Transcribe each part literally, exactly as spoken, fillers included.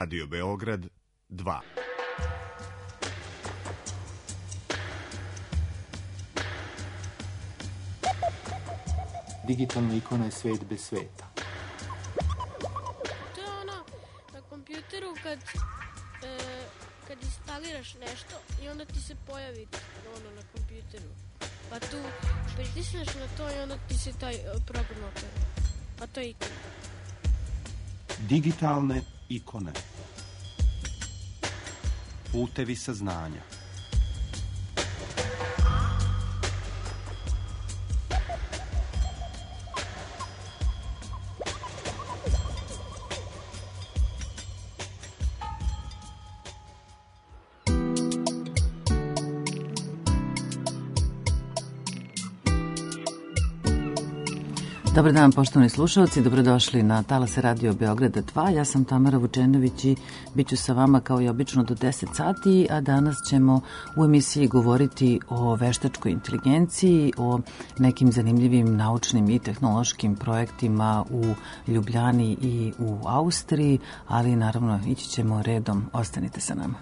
Radio Beograd dva. Digitalna ikona je svet bez sveta. To je ono na kompjuteru kad, e, kad instaliraš nešto i onda ti se pojavi ono na kompjuteru. Pa tu pritisneš na to i onda ti se taj program otvara. Pa to je ikona. Digitalne ikone. Putevi saznanja. Dobar dan, poštovani slušalci, dobrodošli na talase Radio Beograda dva. Ja sam Tamara Vučenović i bit ću sa vama kao i obično do deset sati, a danas ćemo u emisiji govoriti o veštačkoj inteligenciji, o nekim zanimljivim naučnim i tehnološkim projektima u Ljubljani i u Austriji, ali naravno ići ćemo redom. Ostanite sa nama.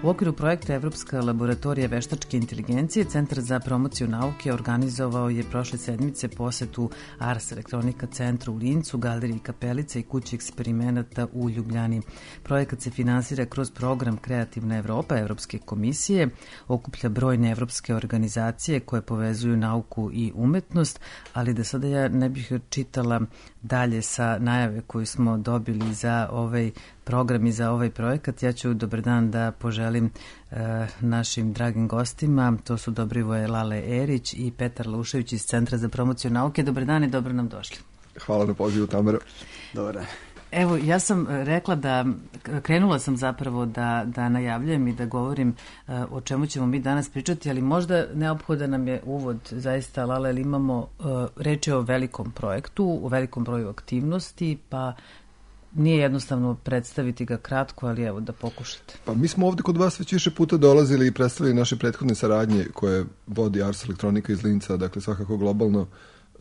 U okviru projekta Evropska laboratorija veštačke inteligencije, Centar za promociju nauke organizovao je prošle sedmice posetu Ars Elektronika centru u Lincu, Galeriji Kapelica i kući eksperimenata u Ljubljani. Projekat se finansira kroz program Kreativna Evropa Evropske komisije, okuplja brojne evropske organizacije koje povezuju nauku i umetnost, ali da sada ja ne bih čitala dalje sa najave koju smo dobili za ovaj program i za ovaj projekat. Ja ću dobar dan da poželim e, našim dragim gostima. To su Dobrivoje Lale Erić i Petar Laušević iz Centra za promociju nauke. Dobar dan i dobro nam došli. Hvala na pozivu, Tamara. Dobar dan. Evo, ja sam rekla da, krenula sam zapravo da, da najavljujem i da govorim uh, o čemu ćemo mi danas pričati, ali možda neophodan nam je uvod, zaista, Lala, jer imamo uh, reč o velikom projektu, o velikom broju aktivnosti, pa nije jednostavno predstaviti ga kratko, ali evo da pokušate. Pa mi smo ovde kod vas već više puta dolazili i predstavili naše prethodne saradnje koje vodi Ars Elektronika iz Linca, dakle svakako globalno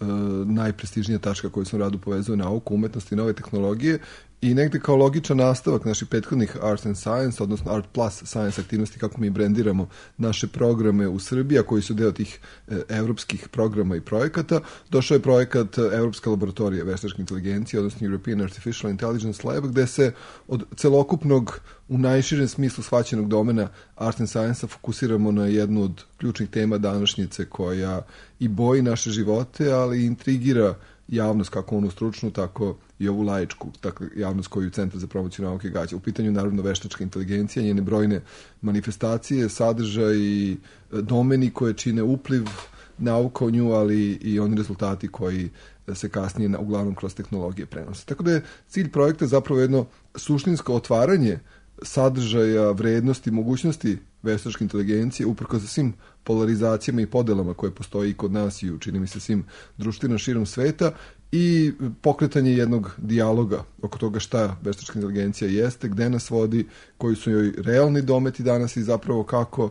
Uh, najprestižnija tačka koju sam radu povezuje nauku, umetnost i nove tehnologije i negde kao logičan nastavak naših prethodnih Arts and Science, odnosno Art Plus Science aktivnosti, kako mi brendiramo naše programe u Srbiji, a koji su deo tih eh, evropskih programa i projekata. Došao je projekat Evropska laboratorija veštačke inteligencije, odnosno European Artificial Intelligence Lab, gde se od celokupnog, u najširem smislu shvaćenog domena Arts and Science-a fokusiramo na jednu od ključnih tema današnjice koja i boji naše živote, ali i intrigira javnost, kako onu stručnu, tako i ovu laičku, dakle javnost koju Centar za promociju nauke gađa. U pitanju naravno veštačka inteligencija, njene brojne manifestacije, sadržaj i domeni koje čine upliv nauka o nju, ali i oni rezultati koji se kasnije uglavnom kroz tehnologije prenose. Tako da je cilj projekta zapravo jedno suštinsko otvaranje sadržaja, vrednosti, mogućnosti veštačke inteligencije, uprkos sa svim polarizacijama i podelama koje postoji i kod nas i u, čini mi se, svim društvima širom sveta, i pokretanje jednog dijaloga oko toga šta veštačka inteligencija jeste, gde nas vodi, koji su joj realni dometi danas i zapravo kako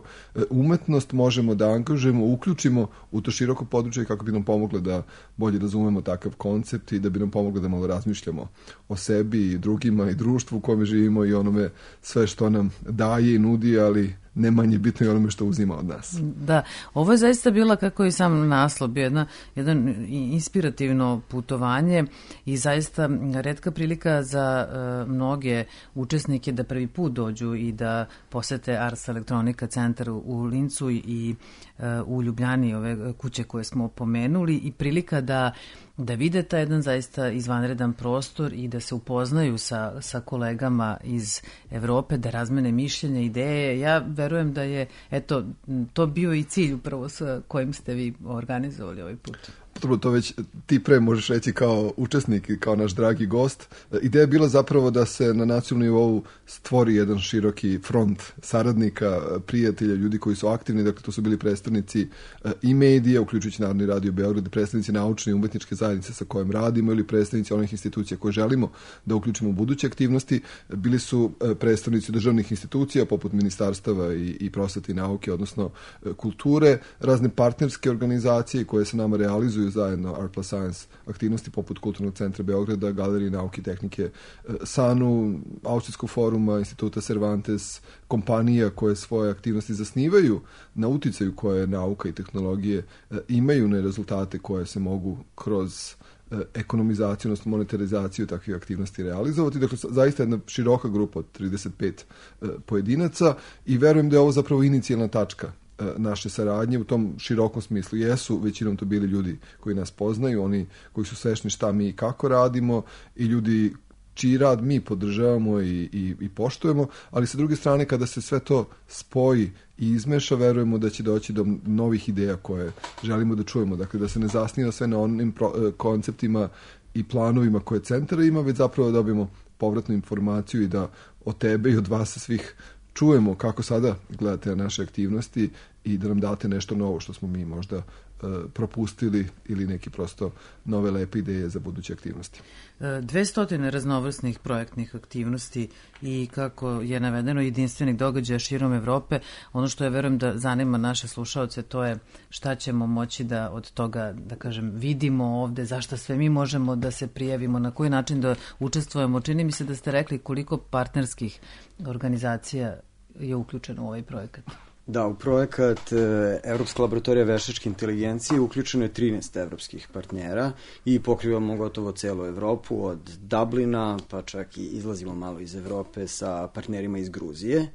umetnost možemo da angažujemo, uključimo u to široko područje kako bi nam pomoglo da bolje razumemo takav koncept i da bi nam pomoglo da malo razmišljamo o sebi i drugima i društvu u kome živimo i onome sve što nam daje i nudi, ali ne manje bitno i onome što uzima od nas. Da, ovo je zaista bila, kako i sam naslov, bio jedna, jedan inspirativno putovanje i zaista retka prilika za uh, mnoge učesnike da prvi put dođu i da posete Ars Elektronika centar u Lincu i uh, u Ljubljani, ove kuće koje smo pomenuli, i prilika da da vide taj jedan zaista izvanredan prostor i da se upoznaju sa, sa kolegama iz Evrope, da razmene mišljenja, ideje. Ja verujem da je, eto, to bio i cilj upravo sa kojim ste vi organizovali ovaj put. Dobro, to već ti pre možeš reći kao učesnik i kao naš dragi gost. Ideja je bila zapravo da se na nacionalnom nivou stvori jedan široki front saradnika, prijatelja, ljudi koji su aktivni. Dakle, to su bili predstavnici i medija, uključujući Narodni radio Beograd, predstavnici naučne i umetničke zajednice sa kojim radimo ili predstavnici onih institucija koje želimo da uključimo u buduće aktivnosti. Bili su predstavnici državnih institucija poput ministarstava i, i prosvete i nauke, odnosno kulture, razne partnerske organizacije koje se nama realizuju organizuju zajedno Art plus Science aktivnosti poput Kulturnog centra Beograda, Galerije nauke i tehnike SANU, Austrijskog foruma, Instituta Cervantes, kompanija koje svoje aktivnosti zasnivaju na uticaju koje nauka i tehnologije imaju na rezultate koje se mogu kroz ekonomizaciju, odnosno monetarizaciju takvih aktivnosti realizovati. Dakle, zaista jedna široka grupa od trideset pet pojedinaca i verujem da je ovo zapravo inicijalna tačka naše saradnje u tom širokom smislu. Jesu većinom to bili ljudi koji nas poznaju, oni koji su svesni šta mi i kako radimo i ljudi čiji rad mi podržavamo i, i, i poštujemo, ali sa druge strane kada se sve to spoji i izmeša, verujemo da će doći do novih ideja koje želimo da čujemo. Dakle, da se ne zasniva sve na onim pro, konceptima i planovima koje centar ima, već zapravo da dobijemo povratnu informaciju i da od tebe i od vas svih čujemo kako sada gledate na naše aktivnosti i da nam date nešto novo što smo mi možda propustili ili neki prosto nove lepe ideje za buduće aktivnosti. dvesta raznovrsnih projektnih aktivnosti i kako je navedeno jedinstvenih događaja širom Evrope. Ono što je, verujem da zanima naše slušaoce, to je šta ćemo moći da od toga, da kažem, vidimo ovde, zašto sve mi možemo da se prijavimo, na koji način da učestvujemo. Čini mi se da ste rekli koliko partnerskih organizacija je uključeno u ovaj projekat. Da, u projekat Evropska laboratorija veštačke inteligencije uključeno je trinaest evropskih partnera i pokrivamo gotovo celu Evropu, od Dublina, pa čak i izlazimo malo iz Evrope sa partnerima iz Gruzije. E,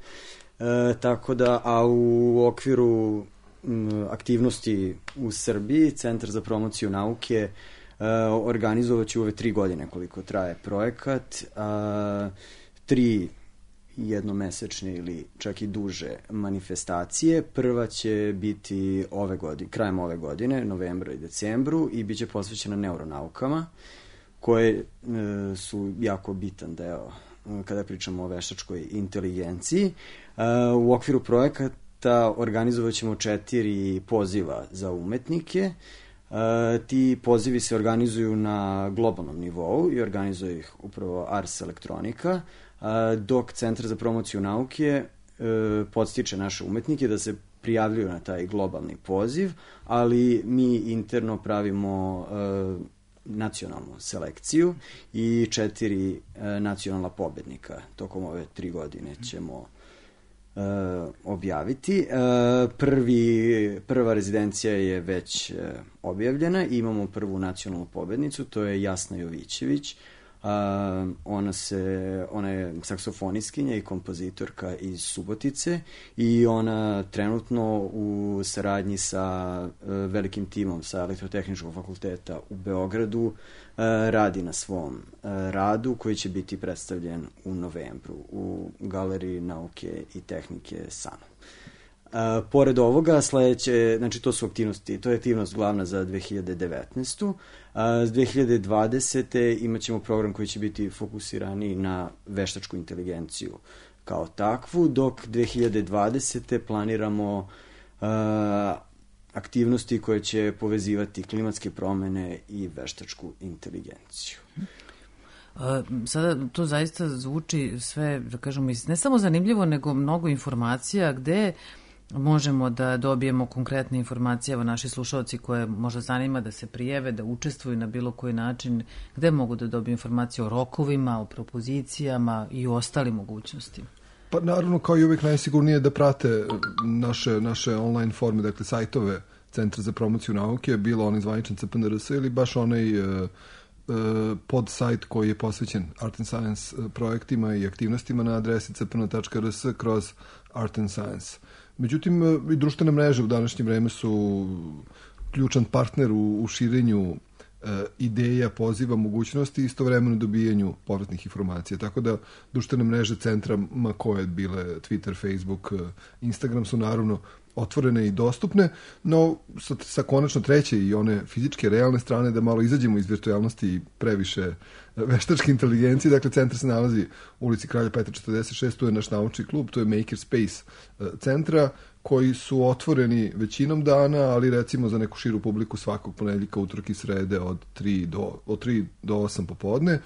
tako da, a u okviru m, aktivnosti u Srbiji, Centar za promociju nauke e, organizovat će ove tri godine koliko traje projekat, a, tri jednomesečne ili čak i duže manifestacije. Prva će biti ove godine, krajem ove godine, novembru i decembru, i bit će posvećena neuronaukama, koje e, su jako bitan deo kada pričamo o veštačkoj inteligenciji. E, u okviru projekata organizovat ćemo četiri poziva za umetnike. E, ti pozivi se organizuju na globalnom nivou i organizuje ih upravo Ars Elektronika, dok Centar za promociju nauke e, podstiče naše umetnike da se prijavljuju na taj globalni poziv, ali mi interno pravimo e, nacionalnu selekciju i četiri e, nacionalna pobednika tokom ove tri godine ćemo e, objaviti. E, prvi, prva rezidencija je već e, objavljena i imamo prvu nacionalnu pobednicu, to je Jasna Jovićević. Uh, ona, se, ona je saksofonistkinja i kompozitorka iz Subotice i ona trenutno u saradnji sa uh, velikim timom sa Elektrotehničkog fakulteta u Beogradu uh, radi na svom uh, radu koji će biti predstavljen u novembru u Galeriji nauke i tehnike SANU. Uh, pored ovoga, sledeće, znači to su aktivnosti, to je aktivnost glavna za dve hiljade devetnaestu. Uh, s dve hiljade dvadesete imat ćemo program koji će biti fokusirani na veštačku inteligenciju kao takvu, dok dve hiljade dvadesete planiramo uh, aktivnosti koje će povezivati klimatske promene i veštačku inteligenciju. Sada to zaista zvuči sve, da kažemo, ne samo zanimljivo, nego mnogo informacija gde možemo da dobijemo konkretne informacije, evo naši slušalci koje možda zanima da se prijeve, da učestvuju na bilo koji način, gde mogu da dobiju informacije o rokovima, o propozicijama i o ostalim mogućnostima? Pa naravno, kao i uvijek, najsigurnije da prate naše, naše online forme, dakle sajtove Centra za promociju nauke, bilo onaj zvaničan C P N R S ili baš onaj uh, uh, pod sajt koji je posvećen Art and Science projektima i aktivnostima na adresi c p n tačka r s kroz Art and Science. Međutim, i društvene mreže u današnje vreme su ključan partner u, u širenju e, ideja, poziva, mogućnosti i istovremeno dobijanju povratnih informacija. Tako da društvene mreže centra, ma koje bile Twitter, Facebook, Instagram, su naravno otvorene i dostupne, no sa, sa konačno treće i one fizičke, realne strane da malo izađemo iz virtualnosti i previše veštačke inteligencije. Dakle, centar se nalazi u ulici Kralja Petra četrdeset šest, tu je naš naučni klub, to je Maker Space centra, koji su otvoreni većinom dana, ali recimo za neku širu publiku svakog ponedjeljka, utorka i srede od tri do osam popodne.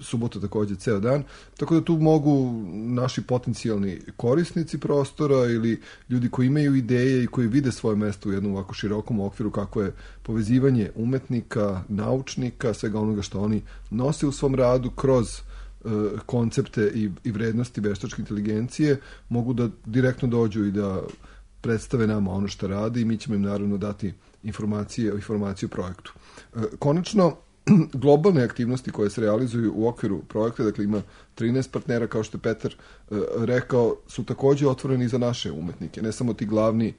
subota takođe ceo dan, tako da tu mogu naši potencijalni korisnici prostora ili ljudi koji imaju ideje i koji vide svoje mesto u jednom ovako širokom okviru kako je povezivanje umetnika, naučnika, svega onoga što oni nose u svom radu kroz uh, koncepte i, i vrednosti veštačke inteligencije, mogu da direktno dođu i da predstave nama ono što radi i mi ćemo im naravno dati informacije, informacije o projektu. Uh, konačno, globalne aktivnosti koje se realizuju u okviru projekta, dakle ima trinaest partnera, kao što je Petar e, rekao, su takođe otvoreni za naše umetnike. Ne samo ti glavni e,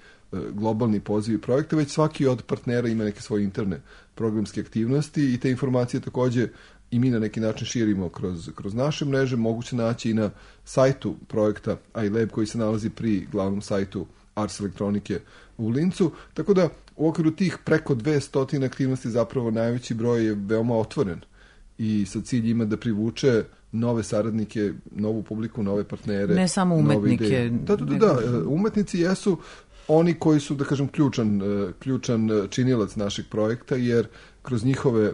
globalni pozivi projekta, već svaki od partnera ima neke svoje interne programske aktivnosti i te informacije takođe i mi na neki način širimo kroz, kroz naše mreže. Moguće naći i na sajtu projekta iLab koji se nalazi pri glavnom sajtu Ars elektronike u Lincu, tako da u okviru tih preko dvesta aktivnosti zapravo najveći broj je veoma otvoren i sa cilj ima da privuče nove saradnike, novu publiku, nove partnere. Ne samo umetnike. Da, da, da, da, umetnici jesu oni koji su, da kažem, ključan, ključan činilac našeg projekta, jer kroz njihove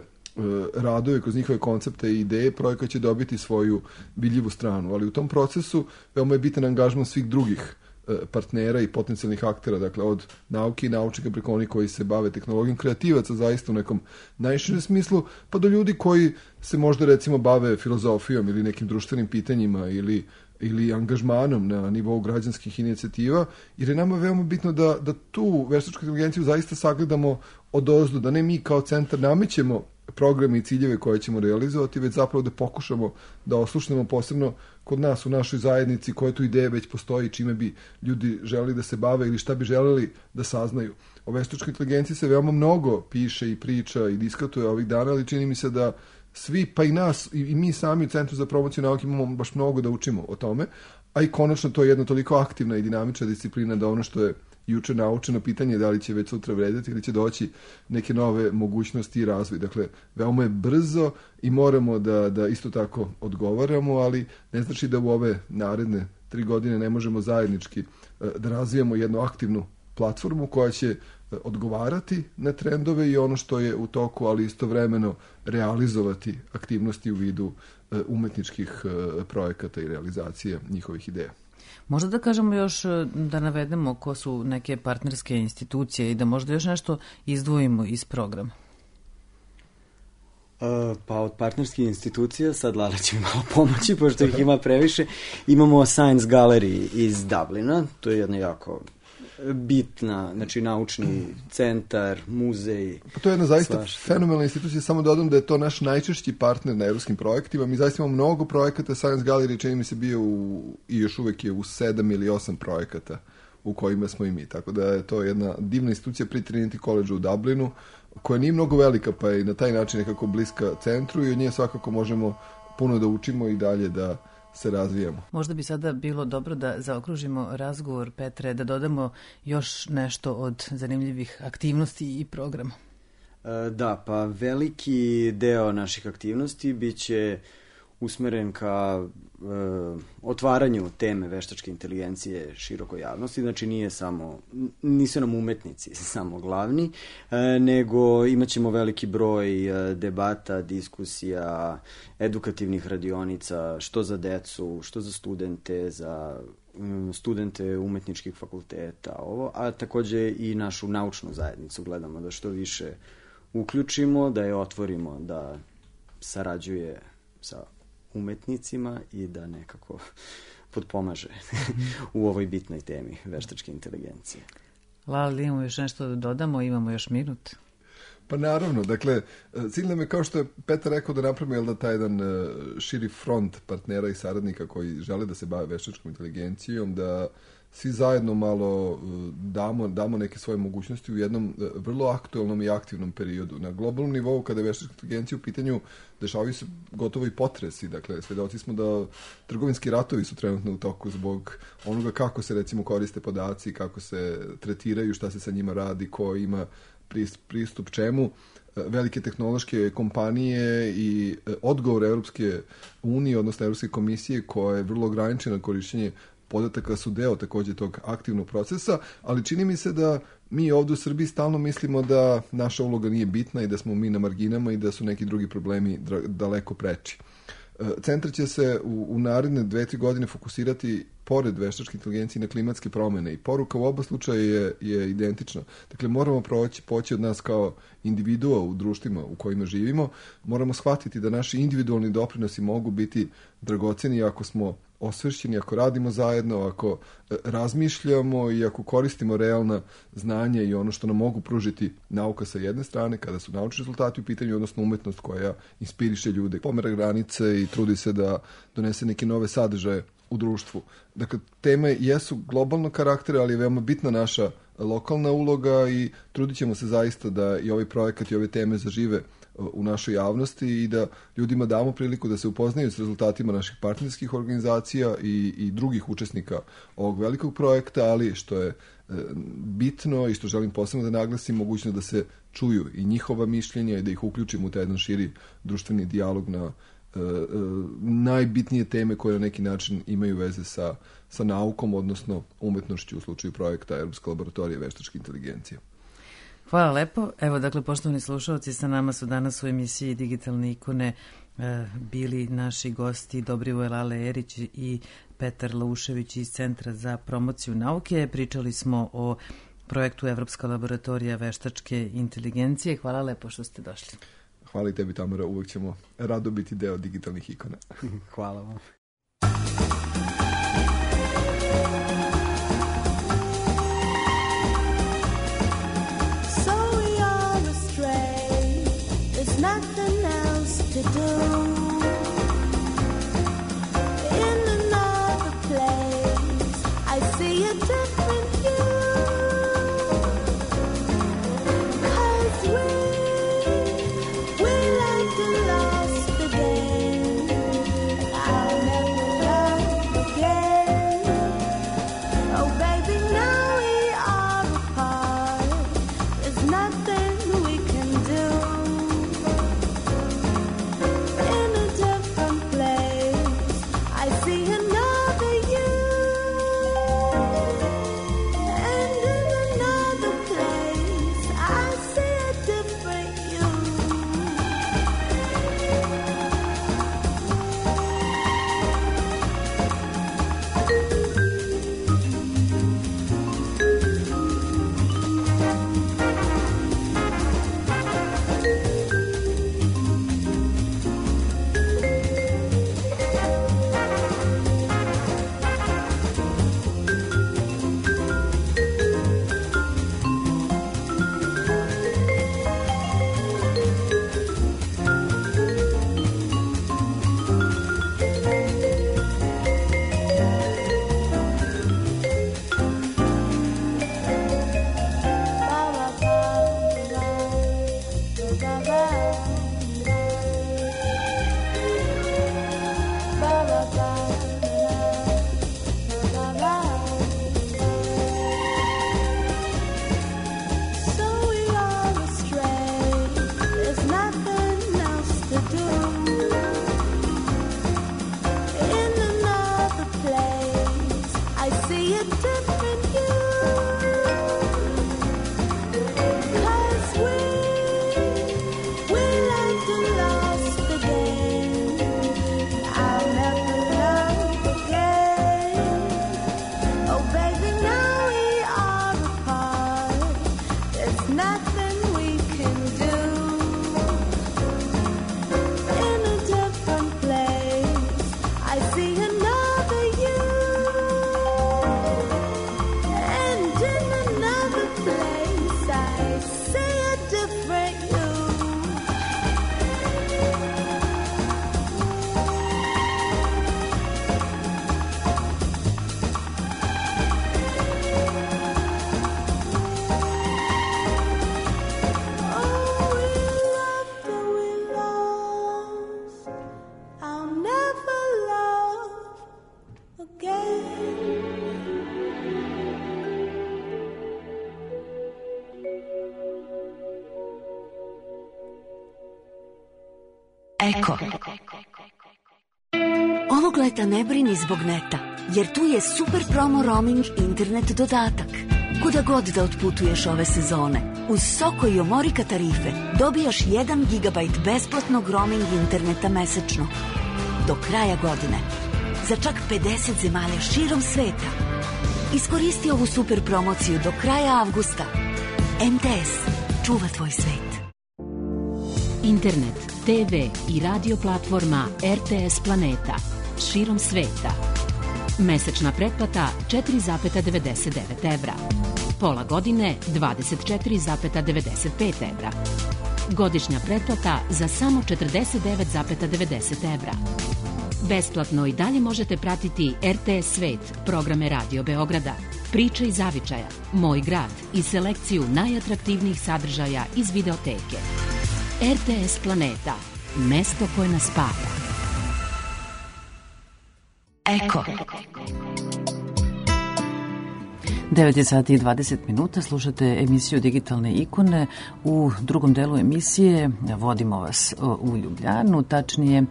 radove, kroz njihove koncepte i ideje projekat će dobiti svoju vidljivu stranu, ali u tom procesu veoma je bitan angažman svih drugih partnera i potencijalnih aktera, dakle od nauke i naučnika preko onih koji se bave tehnologijom, kreativaca zaista u nekom najširem smislu, pa do ljudi koji se možda recimo bave filozofijom ili nekim društvenim pitanjima ili, ili angažmanom na nivou građanskih inicijativa, jer je nama veoma bitno da, da tu veštačku inteligenciju zaista sagledamo odozdo, da ne mi kao centar namećemo programe i ciljeve koje ćemo realizovati, već zapravo da pokušamo da oslušnemo posebno kod nas u našoj zajednici koje tu ideje već postoji, čime bi ljudi želeli da se bave ili šta bi želeli da saznaju. O veštačkoj inteligenciji se veoma mnogo piše i priča i diskutuje ovih dana, ali čini mi se da svi, pa i nas, i mi sami u Centru za promociju nauke imamo baš mnogo da učimo o tome, a i konačno to je jedna toliko aktivna i dinamična disciplina da ono što je juče naučeno, pitanje da li će već sutra vredeti ili će doći neke nove mogućnosti i razvoj. Dakle, veoma je brzo i moramo da, da isto tako odgovaramo, ali ne znači da u ove naredne tri godine ne možemo zajednički da razvijamo jednu aktivnu platformu koja će odgovarati na trendove i ono što je u toku, ali istovremeno realizovati aktivnosti u vidu umetničkih projekata i realizacije njihovih ideja. Možda da kažemo još, da navedemo ko su neke partnerske institucije i da možda još nešto izdvojimo iz programa. Uh, pa od partnerskih institucija, sad Lala će mi malo pomoći, pošto ih ima previše. Imamo Science Gallery iz Dublina, to je jedna jako bitna, znači naučni centar, muzej. Pa to je jedna zaista fenomenalna institucija, samo dodam da je to naš najčešći partner na evropskim projektima. Mi zaista imamo mnogo projekata, Science Gallery čini mi se bio u, i još uvek je u sedam ili osam projekata u kojima smo i mi. Tako da je to jedna divna institucija pri Trinity College u Dublinu, koja nije mnogo velika, pa je na taj način nekako bliska centru i od nje svakako možemo puno da učimo i dalje da se razvijamo. Možda bi sada bilo dobro da zaokružimo razgovor, Petre, da dodamo još nešto od zanimljivih aktivnosti i programa. E, da, pa veliki deo naših aktivnosti biće usmeren ka e, otvaranju teme veštačke inteligencije širokoj javnosti, znači nije samo, nisu nam umetnici samo glavni, e, nego imaćemo veliki broj e, debata, diskusija, edukativnih radionica, što za decu, što za studente, za um, studente umetničkih fakulteta, ovo, a takođe i našu naučnu zajednicu gledamo da što više uključimo, da je otvorimo, da sarađuje sa umetnicima i da nekako potpomaže u ovoj bitnoj temi veštačke inteligencije. Lala, imamo još nešto da dodamo, imamo još minut. Pa naravno, dakle, cilj nam je, kao što je Petar rekao, da napravimo jel da taj jedan širi front partnera i saradnika koji žele da se bave veštačkom inteligencijom, da svi zajedno malo damo, damo neke svoje mogućnosti u jednom vrlo aktualnom i aktivnom periodu. Na globalnom nivou, kada je veštačka inteligencija u pitanju, dešavaju se gotovo i potresi. Dakle, svedoci smo da trgovinski ratovi su trenutno u toku zbog onoga kako se, recimo, koriste podaci, kako se tretiraju, šta se sa njima radi, ko ima pristup čemu. Velike tehnološke kompanije i odgovor Evropske unije, odnosno Evropske komisije, koja je vrlo ograničena korišćenje podataka, su deo takođe tog aktivnog procesa, ali čini mi se da mi ovdje u Srbiji stalno mislimo da naša uloga nije bitna i da smo mi na marginama i da su neki drugi problemi daleko preči. Centar će se u, u naredne dve, tri godine fokusirati pored veštačke inteligencije na klimatske promene i poruka u oba slučaja je, je identična. Dakle, moramo proći, poći od nas kao individua u društvima u kojima živimo, moramo shvatiti da naši individualni doprinosi mogu biti dragoceni ako smo osvešćeni, ako radimo zajedno, ako razmišljamo i ako koristimo realna znanja i ono što nam mogu pružiti nauka sa jedne strane, kada su naučni rezultati u pitanju, odnosno umetnost koja inspiriše ljude, pomera granice i trudi se da donese neke nove sadržaje u društvu. Dakle, teme jesu globalnog karaktera, ali je veoma bitna naša lokalna uloga i trudit ćemo se zaista da i ovaj projekat i ove teme zažive u našoj javnosti i da ljudima damo priliku da se upoznaju s rezultatima naših partnerskih organizacija i, i drugih učesnika ovog velikog projekta, ali što je e, bitno i što želim posebno da naglasim, mogućno da se čuju i njihova mišljenja i da ih uključimo u taj jedan širi društveni dijalog na e, e, najbitnije teme koje na neki način imaju veze sa, sa naukom, odnosno umetnošću u slučaju projekta Evropska laboratorija veštačke inteligencije. Hvala lepo. Evo, dakle, poštovani slušalci, sa nama su danas u emisiji Digitalne ikone e, bili naši gosti Dobrivoje Lale Erić i Petar Laušević iz Centra za promociju nauke. Pričali smo o projektu Evropska laboratorija veštačke inteligencije. Hvala lepo što ste došli. Hvala i tebi, Tamara. Uvek ćemo rado biti deo digitalnih ikona. Hvala vam. Nothing else to do. In another place, I see a different you. 'Cause we, we like to lost the game. I'll never love again. Oh baby, now we are apart. There's nothing we can do. Eko. Ovog leta ne brini zbog neta, jer tu je super promo roaming internet dodatak. Kuda god da otputuješ ove sezone, uz Soko i Omorika tarife dobijaš jedan gigabajt besplatnog roaming interneta mesečno. do kraja godine. Za čak pedeset zemalja širom sveta. Iskoristi ovu super promociju do kraja avgusta. M T S čuva tvoj svet. Internet, te ve i radio platforma R T S Planeta širom sveta. Mesečna pretplata četiri zarez devedeset devet evra. Pola godine dvadeset četiri zarez devedeset pet evra. Godišnja pretplata za samo četrdeset devet zarez devedeset evra. Besplatno i dalje možete pratiti R T S Svet, programe Radio Beograda, Priče iz zavičaja, Moj grad i selekciju najatraktivnijih sadržaja iz videoteke. R T S Planeta, mesto koje nas spaja. Eko. devet je sati i dvadeset minuta, slušate emisiju Digitalne ikone. U drugom delu emisije vodimo vas u Ljubljanu, tačnije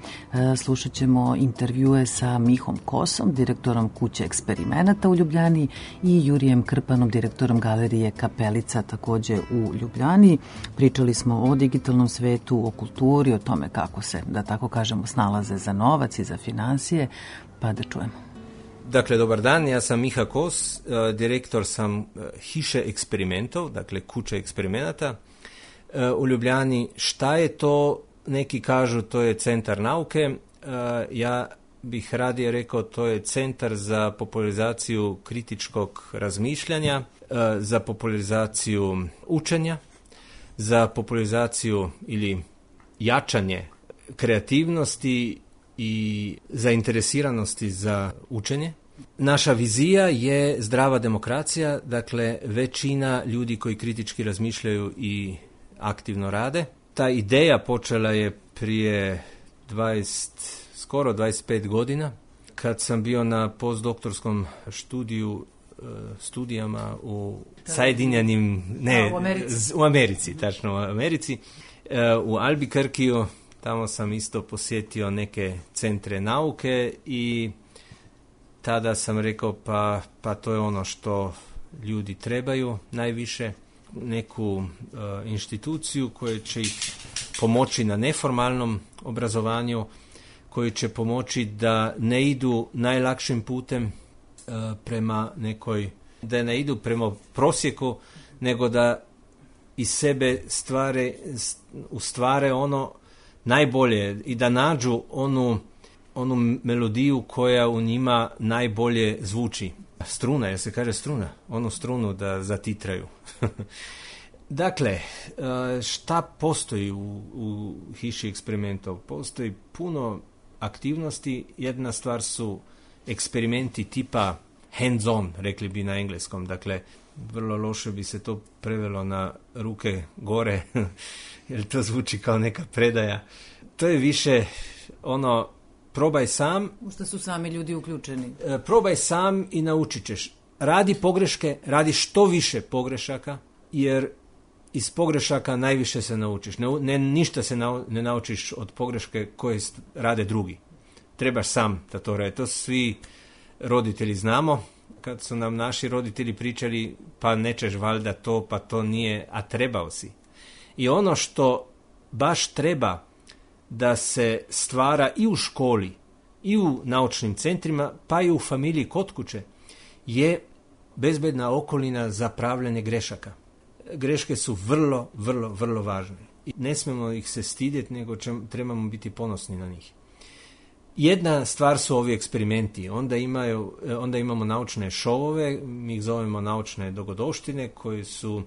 slušat ćemo intervjue sa Mihom Kosom, direktorom Kuće eksperimenata u Ljubljani, i Jurijem Krpanom, direktorom Galerije Kapelica, takođe u Ljubljani. Pričali smo o digitalnom svetu, o kulturi, o tome kako se, da tako kažemo, snalaze za novac i za finansije, pa da čujemo. Dakle, dobar dan, ja sam Miha Kos, direktor sam Hiše eksperimentov, dakle Kuće eksperimenata u Ljubljani. Šta je to? Neki kažu to je centar nauke, ja bih radije rekao to je centar za popularizaciju kritičkog razmišljanja, za popularizaciju učenja, za popularizaciju ili jačanje kreativnosti i zainteresiranosti za učenje. Naša vizija je zdrava demokracija, dakle većina ljudi koji kritički razmišljaju i aktivno rade. Ta ideja počela je prije dvadeset, skoro dvadeset pet godina, kad sam bio na postdoktorskom studiju, studijama u Sajedinjenim, ne, u Americi, u Americi, tačno u Americi, u Albuquerqueu. Tamo sam isto posjetio neke centre nauke i tada sam rekao pa, pa to je ono što ljudi trebaju najviše, neku uh, instituciju koja će ih pomoći na neformalnom obrazovanju, koji će pomoći da ne idu najlakšim putem uh, prema nekoj, da ne idu prema prosjeku, nego da iz sebe stvare, ustvare ono najbolje i da nađu onu, onu melodiju koja u njima najbolje zvuči. Struna, jer se kaže struna, onu strunu da zatitraju. Dakle, šta postoji u, u Hiši eksperimentov? Postoji puno aktivnosti. Jedna stvar su eksperimenti tipa hands-on, rekli bi na engleskom. Dakle, vrlo loše bi se to prevelo na ruke gore, jer to zvuči kao neka predaja. To je više ono, probaj sam. U što su sami ljudi uključeni. E, probaj sam i naučit ćeš. Radi pogreške, radi što više pogrešaka, jer iz pogrešaka najviše se naučiš. Ne, ne, ništa se nau, ne naučiš od pogreške koje rade drugi. Trebaš sam da to radi. To svi roditelji znamo. Kad su nam naši roditelji pričali, pa nećeš valjda to, pa to nije, a trebao si. I ono što baš treba da se stvara i u školi, i u naučnim centrima, pa i u familiji kod kuće, je bezbedna okolina za pravljanje grešaka. Greške su vrlo, vrlo, vrlo važne. I ne smemo ih se stidjeti, nego ćemo, trebamo biti ponosni na njih. Jedna stvar su ovi eksperimenti. Onda, imaju, onda imamo naučne šovove, mi ih zovemo naučne dogodovštine, koji su um,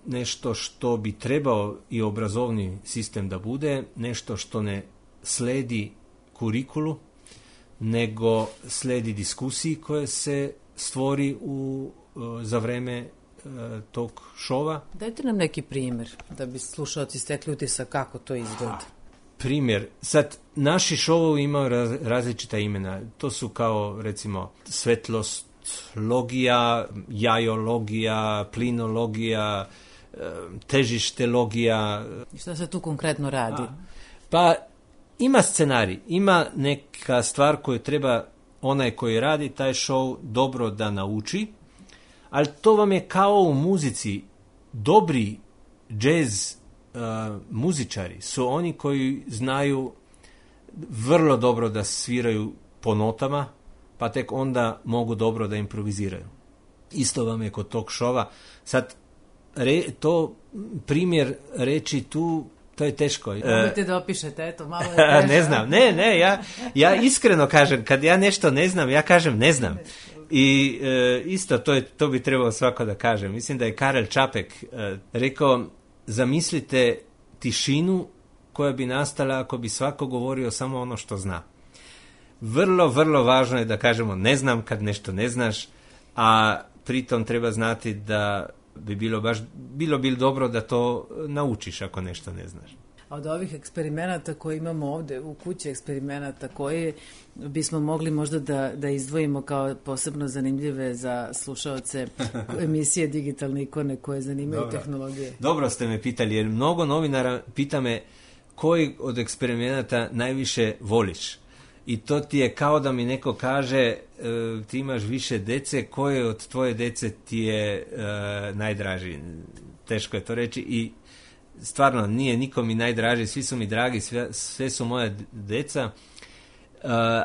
nešto što bi trebao i obrazovni sistem da bude, nešto što ne sledi kurikulu, nego sledi diskusiji koje se stvori u, uh, za vreme uh, tog šova. Dajte nam neki primjer, da bi slušalci stekli utisak kako to izgleda. Primjer, sad naši šovovi imaju raz, različita imena. To su kao recimo svetlostlogija, jajologija, plinologija, težištelogija. I šta se tu konkretno radi? A, pa ima scenarij, ima neka stvar koju treba onaj koji radi taj šov dobro da nauči, ali to vam je kao u muzici. Dobri džez Uh, muzičari su oni koji znaju vrlo dobro da sviraju po notama, pa tek onda mogu dobro da improviziraju. Isto vam je kod tog šova. Sad, re, to primjer reći tu, to je teško. Možete da opišete, eto, malo je teško. Ne znam, ne, ne, ja, ja iskreno kažem, kad ja nešto ne znam, ja kažem ne znam. I e, isto, to, je, to bi trebalo svako da kaže. Mislim da je Karel Čapek e, rekao, zamislite tišinu koja bi nastala ako bi svako govorio samo ono što zna. Vrlo, vrlo važno je da kažemo ne znam kad nešto ne znaš, a pritom treba znati da bi bilo baš bilo bi dobro da to naučiš ako nešto ne znaš. A od ovih eksperimenata koje imamo ovde u kući, eksperimenata koje bismo mogli možda da, da izdvojimo kao posebno zanimljive za slušaoce emisije Digitalne ikone koje zanimaju Dobro. tehnologije. Dobro ste me pitali, jer mnogo novinara pita me koji od eksperimenata najviše voliš. I to ti je kao da mi neko kaže e, ti imaš više dece, koje od tvoje dece ti je e, najdraži. Teško je to reći i stvarno nije niko mi najdraži, svi su mi dragi, sve, sve su moja deca. E,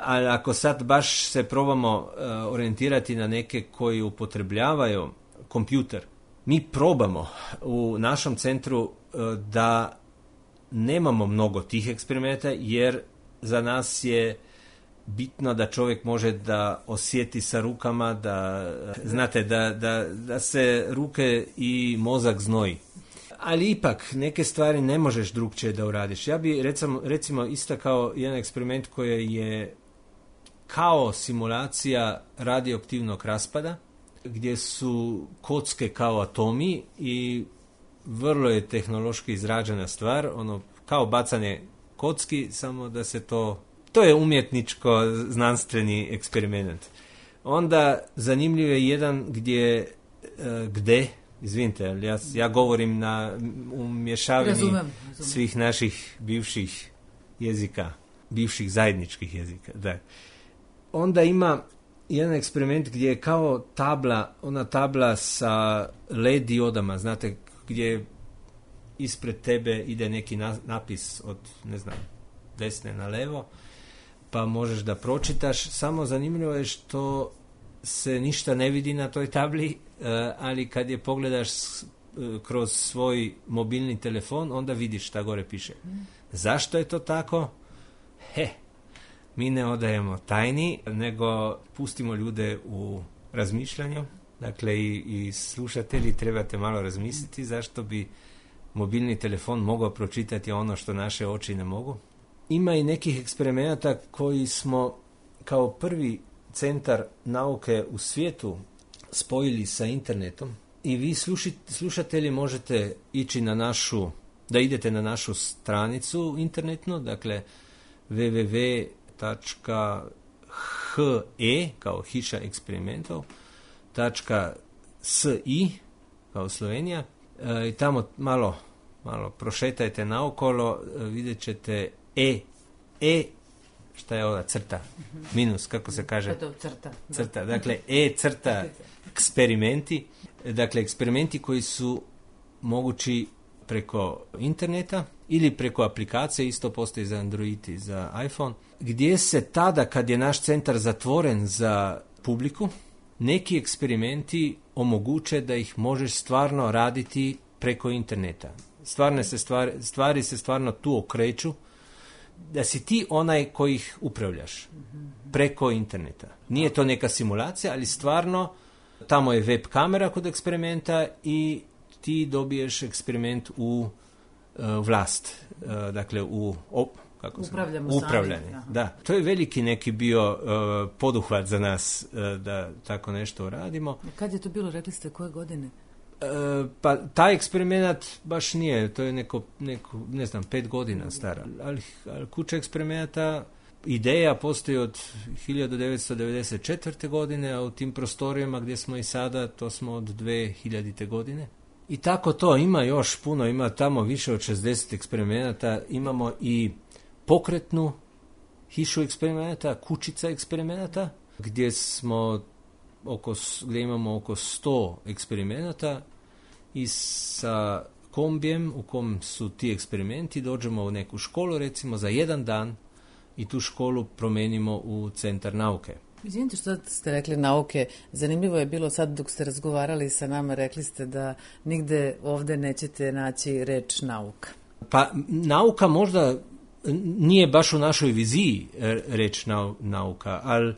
ali ako sad baš se probamo e, orijentirati na neke koji upotrebljavaju kompjuter, mi probamo u našem centru e, da nemamo mnogo tih eksperimenta, jer za nas je bitno da čovjek može da osjeti sa rukama, da znate da, da, da se ruke i mozak znoji. Ali ipak neke stvari ne možeš drugčije da uradiš. Ja bi recimo, recimo isto kao jedan eksperiment koji je kao simulacija radioaktivnog raspada, gdje su kocke kao atomi i vrlo je tehnološki izrađena stvar, ono kao bacanje kocki, samo da se to, to je umjetničko znanstveni eksperiment. Onda zanimljiv je jedan gdje, gdje izvinite, ja, ja govorim na umješavini razumem, razumem. svih naših bivših jezika, bivših zajedničkih jezika. Da. Onda ima jedan eksperiment gdje je kao tabla, ona tabla sa L E D diodama, znate, gdje ispred tebe ide neki na, napis od, ne znam, desne na levo, pa možeš da pročitaš. Samo zanimljivo je što se ništa ne vidi na toj tabli, ali kad je pogledaš kroz svoj mobilni telefon, onda vidiš šta gore piše. Zašto je to tako? He, mi ne odajemo tajni, nego pustimo ljude u razmišljanju. Dakle, i, i slušatelji trebate malo razmisliti zašto bi mobilni telefon mogao pročitati ono što naše oči ne mogu. Ima i nekih eksperimenata koji smo kao prvi centar nauke u svijetu spojili sa internetom i vi sluši, slušatelji možete ići na našu, da idete na našu stranicu internetnu, dakle w w w tačka he kao hiša eksperimentov tačka si kao Slovenija e, i tamo malo, malo prošetajte naokolo, e, vidjet ćete e, e šta je ova crta, minus, kako se kaže? Crta. Crta, dakle, e crta eksperimenti, dakle, eksperimenti koji su mogući preko interneta ili preko aplikacije, isto postoji za Android i za iPhone, gdje se tada, kad je naš centar zatvoren za publiku, neki eksperimenti omoguće da ih možeš stvarno raditi preko interneta. Stvarne se stvari, stvari se stvarno tu okreću, da si ti onaj koji ih upravljaš preko interneta. Nije to neka simulacija, ali stvarno tamo je web kamera kod eksperimenta i ti dobiješ eksperiment u uh, vlast. Uh, dakle, u op, kako Upravljamo upravljanje. Sami. Da. To je veliki neki bio uh, poduhvat za nas uh, da tako nešto radimo. Kad je to bilo, rekli ste, koje godine? Uh, pa taj eksperiment baš nije, to je neko, neko ne znam, pet godina stara. Ali, ali kuća eksperimenata, ideja postoji od hiljadu devetsto devedeset četvrte. godine, a u tim prostorijama gdje smo i sada, to smo od dve hiljadite. godine. I tako to, ima još puno, ima tamo više od šezdeset eksperimenata, imamo i pokretnu hišu eksperimenata, kućica eksperimenata, gdje smo oko, gdje imamo oko sto eksperimenata i sa kombijem u kom su ti eksperimenti dođemo u neku školu, recimo za jedan dan i tu školu promenimo u centar nauke. Izvinite što ste rekli nauke, zanimljivo je bilo sad dok ste razgovarali sa nama, rekli ste da nigde ovde nećete naći reč nauka. Pa nauka možda nije baš u našoj viziji reč nauka, ali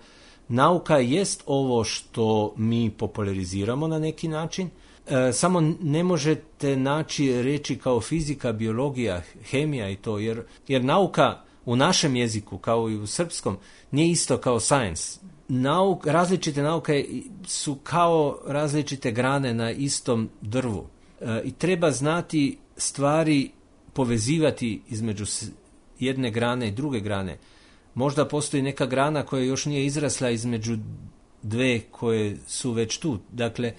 nauka jest ovo što mi populariziramo na neki način. E, samo ne možete naći reči kao fizika, biologija, hemija i to, jer, jer nauka u našem jeziku, kao i u srpskom, nije isto kao science. Nauk, različite nauke su kao različite grane na istom drvu. E, I treba znati stvari povezivati između jedne grane i druge grane. Možda postoji neka grana koja još nije izrasla između dve koje su već tu. Dakle,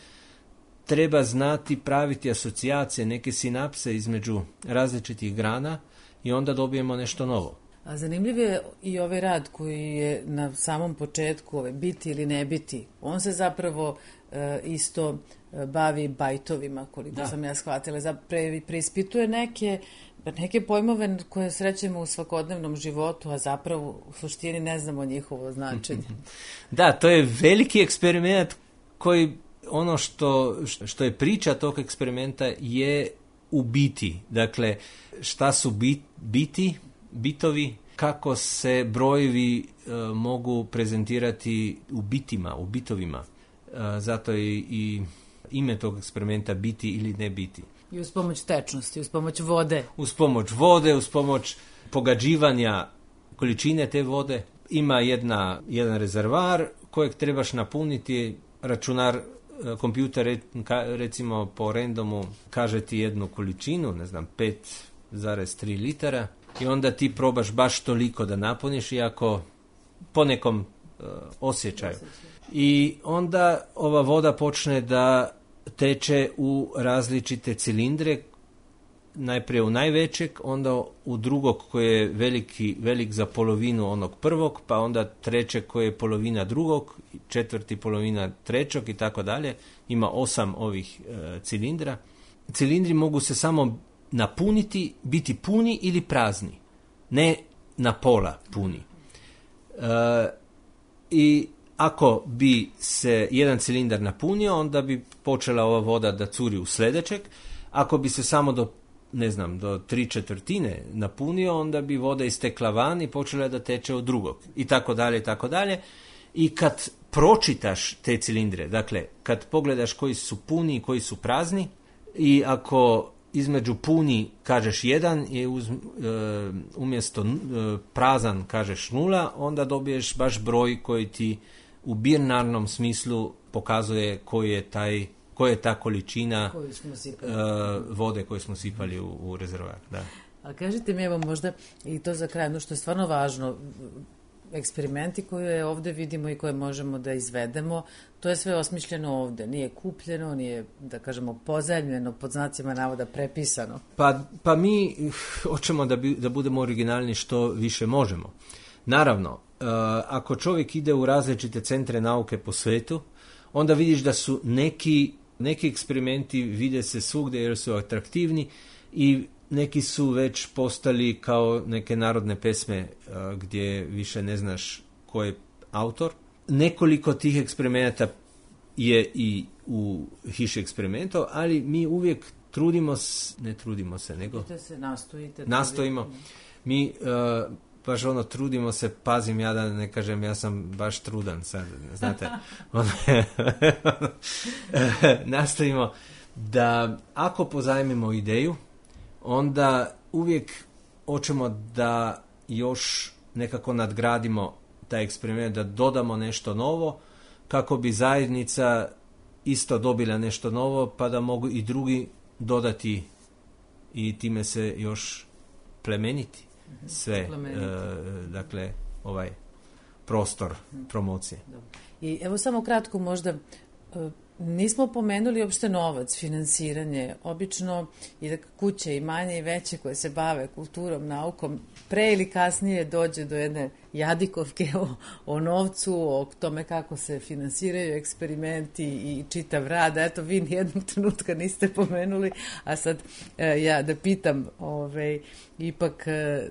treba znati praviti asocijacije, neke sinapse između različitih grana i onda dobijemo nešto novo. A zanimljiv je i ovaj rad koji je na samom početku, ove, biti ili ne biti. On se zapravo e, isto e, bavi bajtovima, koliko da. sam ja shvatila. Pre, preispituje neke, neke pojmove koje srećemo u svakodnevnom životu, a zapravo u suštini ne znamo njihovo značenje. Da, to je veliki eksperiment koji ono što, što je priča tog eksperimenta je u biti. Dakle, šta su bit, biti, bitovi, kako se brojevi e, mogu prezentirati u bitima, u bitovima. E, zato je i ime tog eksperimenta biti ili ne biti. I uz pomoć tečnosti, uz pomoć vode. Uz pomoć vode, uz pomoć pogađivanja količine te vode. Ima jedna, jedan rezervar kojeg trebaš napuniti, računar, kompjuter recimo po randomu kaže ti jednu količinu, ne znam, pet zarez tri litara i onda ti probaš baš toliko da napuniš iako po nekom uh, osjećaju. I onda ova voda počne da teče u različite cilindre, najprije u najvećeg, onda u drugog koji je veliki, velik za polovinu onog prvog, pa onda trećeg koji je polovina drugog, četvrti polovina trećeg i tako dalje. Ima osam ovih e, cilindra. Cilindri mogu se samo napuniti, biti puni ili prazni, ne na pola puni. E, I ako bi se jedan cilindar napunio, onda bi počela ova voda da curi u sljedećeg. Ako bi se samo do ne znam, do tri četvrtine napunio, onda bi voda istekla van i počela da teče od drugog. I tako dalje, i tako dalje. I kad pročitaš te cilindre, dakle, kad pogledaš koji su puni i koji su prazni, i ako između puni kažeš jedan i uz, e, umjesto e, prazan kažeš nula, onda dobiješ baš broj koji ti u binarnom smislu pokazuje koji je taj koja je ta količina uh, vode koju smo sipali u, u rezervoar. Da. A kažite mi, evo možda i to za kraj, ono što je stvarno važno, eksperimenti koje ovde vidimo i koje možemo da izvedemo, to je sve osmišljeno ovde, nije kupljeno, nije, da kažemo, pozajmljeno, pod znacima navoda prepisano. Pa, pa mi hoćemo da, bi, da budemo originalni što više možemo. Naravno, uh, ako čovjek ide u različite centre nauke po svetu, onda vidiš da su neki Neki eksperimenti vide se svugdje jer su atraktivni i neki su već postali kao neke narodne pesme uh, gdje više ne znaš ko je autor. Nekoliko tih eksperimenata je i u hiši eksperimentov, ali mi uvijek trudimo, s, ne trudimo se, nego se nastojite, nastojimo. Mi uh, baš ono, trudimo se, pazim ja da ne kažem, ja sam baš trudan sad, znate. Nastavimo da ako pozajmimo ideju, onda uvijek hoćemo da još nekako nadgradimo taj eksperiment, da dodamo nešto novo, kako bi zajednica isto dobila nešto novo, pa da mogu i drugi dodati i time se još plemeniti sve, e, dakle, ovaj prostor promocije. I evo samo kratko možda, nismo pomenuli uopšte novac, finansiranje. Obično i da kuće i manje i veće koje se bave kulturom, naukom, pre ili kasnije dođe do jedne jadikovke o, o novcu, o tome kako se finansiraju eksperimenti i čitav rad. Eto, vi nijednog trenutka niste pomenuli, a sad e, ja da pitam, ovaj, ipak e,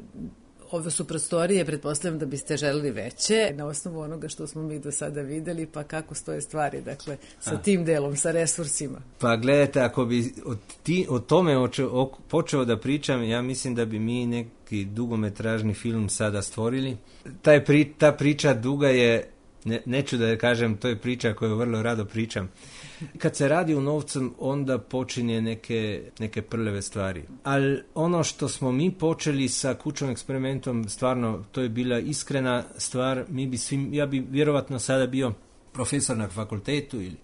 Ove su prostorije, pretpostavljam da biste želeli veće, na osnovu onoga što smo mi do sada videli, pa kako stoje stvari, dakle, sa A. tim delom, sa resursima. Pa gledajte, ako bi od, ti, o tome oče, o, počeo da pričam, ja mislim da bi mi neki dugometražni film sada stvorili. Taj pri, ta priča duga je, ne, neću da kažem, to je priča koju vrlo rado pričam. Kad se radi u novcem, onda počinje neke, neke prljave stvari. Ali ono što smo mi počeli sa kućnim eksperimentom, stvarno, to je bila iskrena stvar. Mi bi svim, ja bi vjerovatno sada bio profesor na fakultetu ili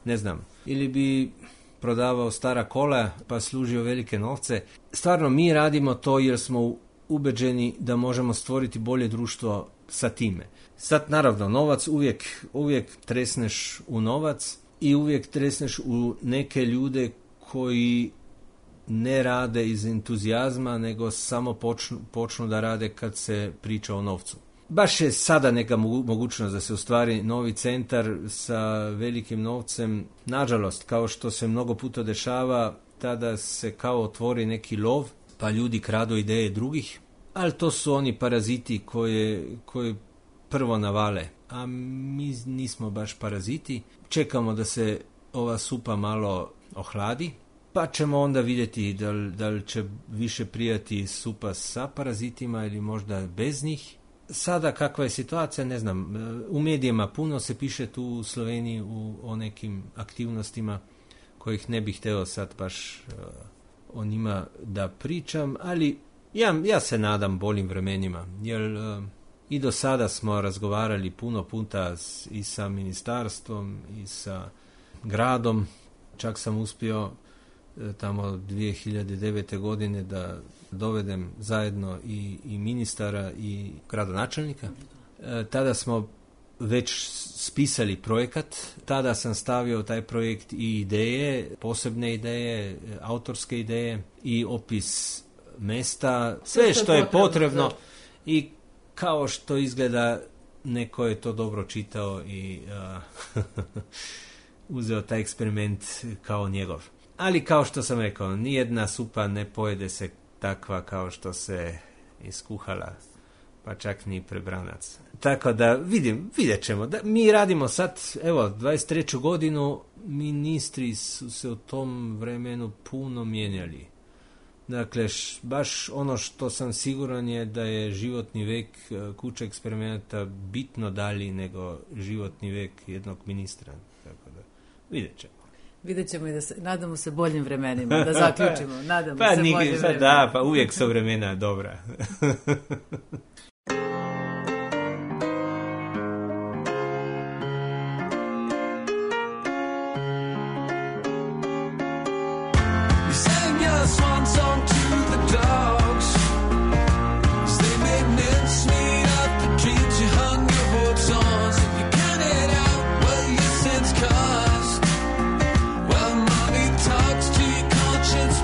ne znam, ili bi prodavao stara kola pa služio velike novce. Stvarno, mi radimo to jer smo ubeđeni da možemo stvoriti bolje društvo sa time. Sad, naravno, novac uvijek, uvijek tresneš u novac, i uvijek tresneš u neke ljude koji ne rade iz entuzijazma, nego samo počnu, počnu da rade kad se priča o novcu. Baš je sada neka mogućnost da se ostvari novi centar sa velikim novcem. Nažalost, kao što se mnogo puta dešava, tada se kao otvori neki lov, pa ljudi kradu ideje drugih, ali to su oni paraziti koje, koje prvo navale. A mi nismo baš paraziti. Čekamo da se ova supa malo ohladi, pa ćemo onda vidjeti da li, da li će više prijati supa sa parazitima ili možda bez njih. Sada kakva je situacija, ne znam. U medijima puno se piše tu u Sloveniji u, o nekim aktivnostima kojih ne bih htio sad baš uh, o njima da pričam, ali ja, ja se nadam boljim vremenima, jer uh, i do sada smo razgovarali puno puta i sa ministarstvom i sa gradom. Čak sam uspio tamo dvije hiljade devete. godine da dovedem zajedno i, i ministara i gradonačelnika. E, tada smo već spisali projekat. Tada sam stavio taj projekt i ideje, posebne ideje, autorske ideje i opis mesta. Sve što je potrebno i kao što izgleda, neko je to dobro čitao i uh, uzeo taj eksperiment kao njegov. Ali kao što sam rekao, nijedna supa ne pojede se takva kao što se iskuhala, pa čak ni prebranac. Tako da vidim, vidjet ćemo. Da, mi radimo sad, evo, dvadeset treću godinu, ministri su se u tom vremenu puno mijenjali. Dakle, š, baš ono što sam siguran je da je životni vek kuće eksperimenta bitno dalji nego životni vek jednog ministra. Tako da, vidjet ćemo. Vidjet ćemo i da se, nadamo se boljim vremenima, da zaključimo. Nadamo pa, se nig, boljim pa, vremenima. Da, pa uvijek su vremena dobra.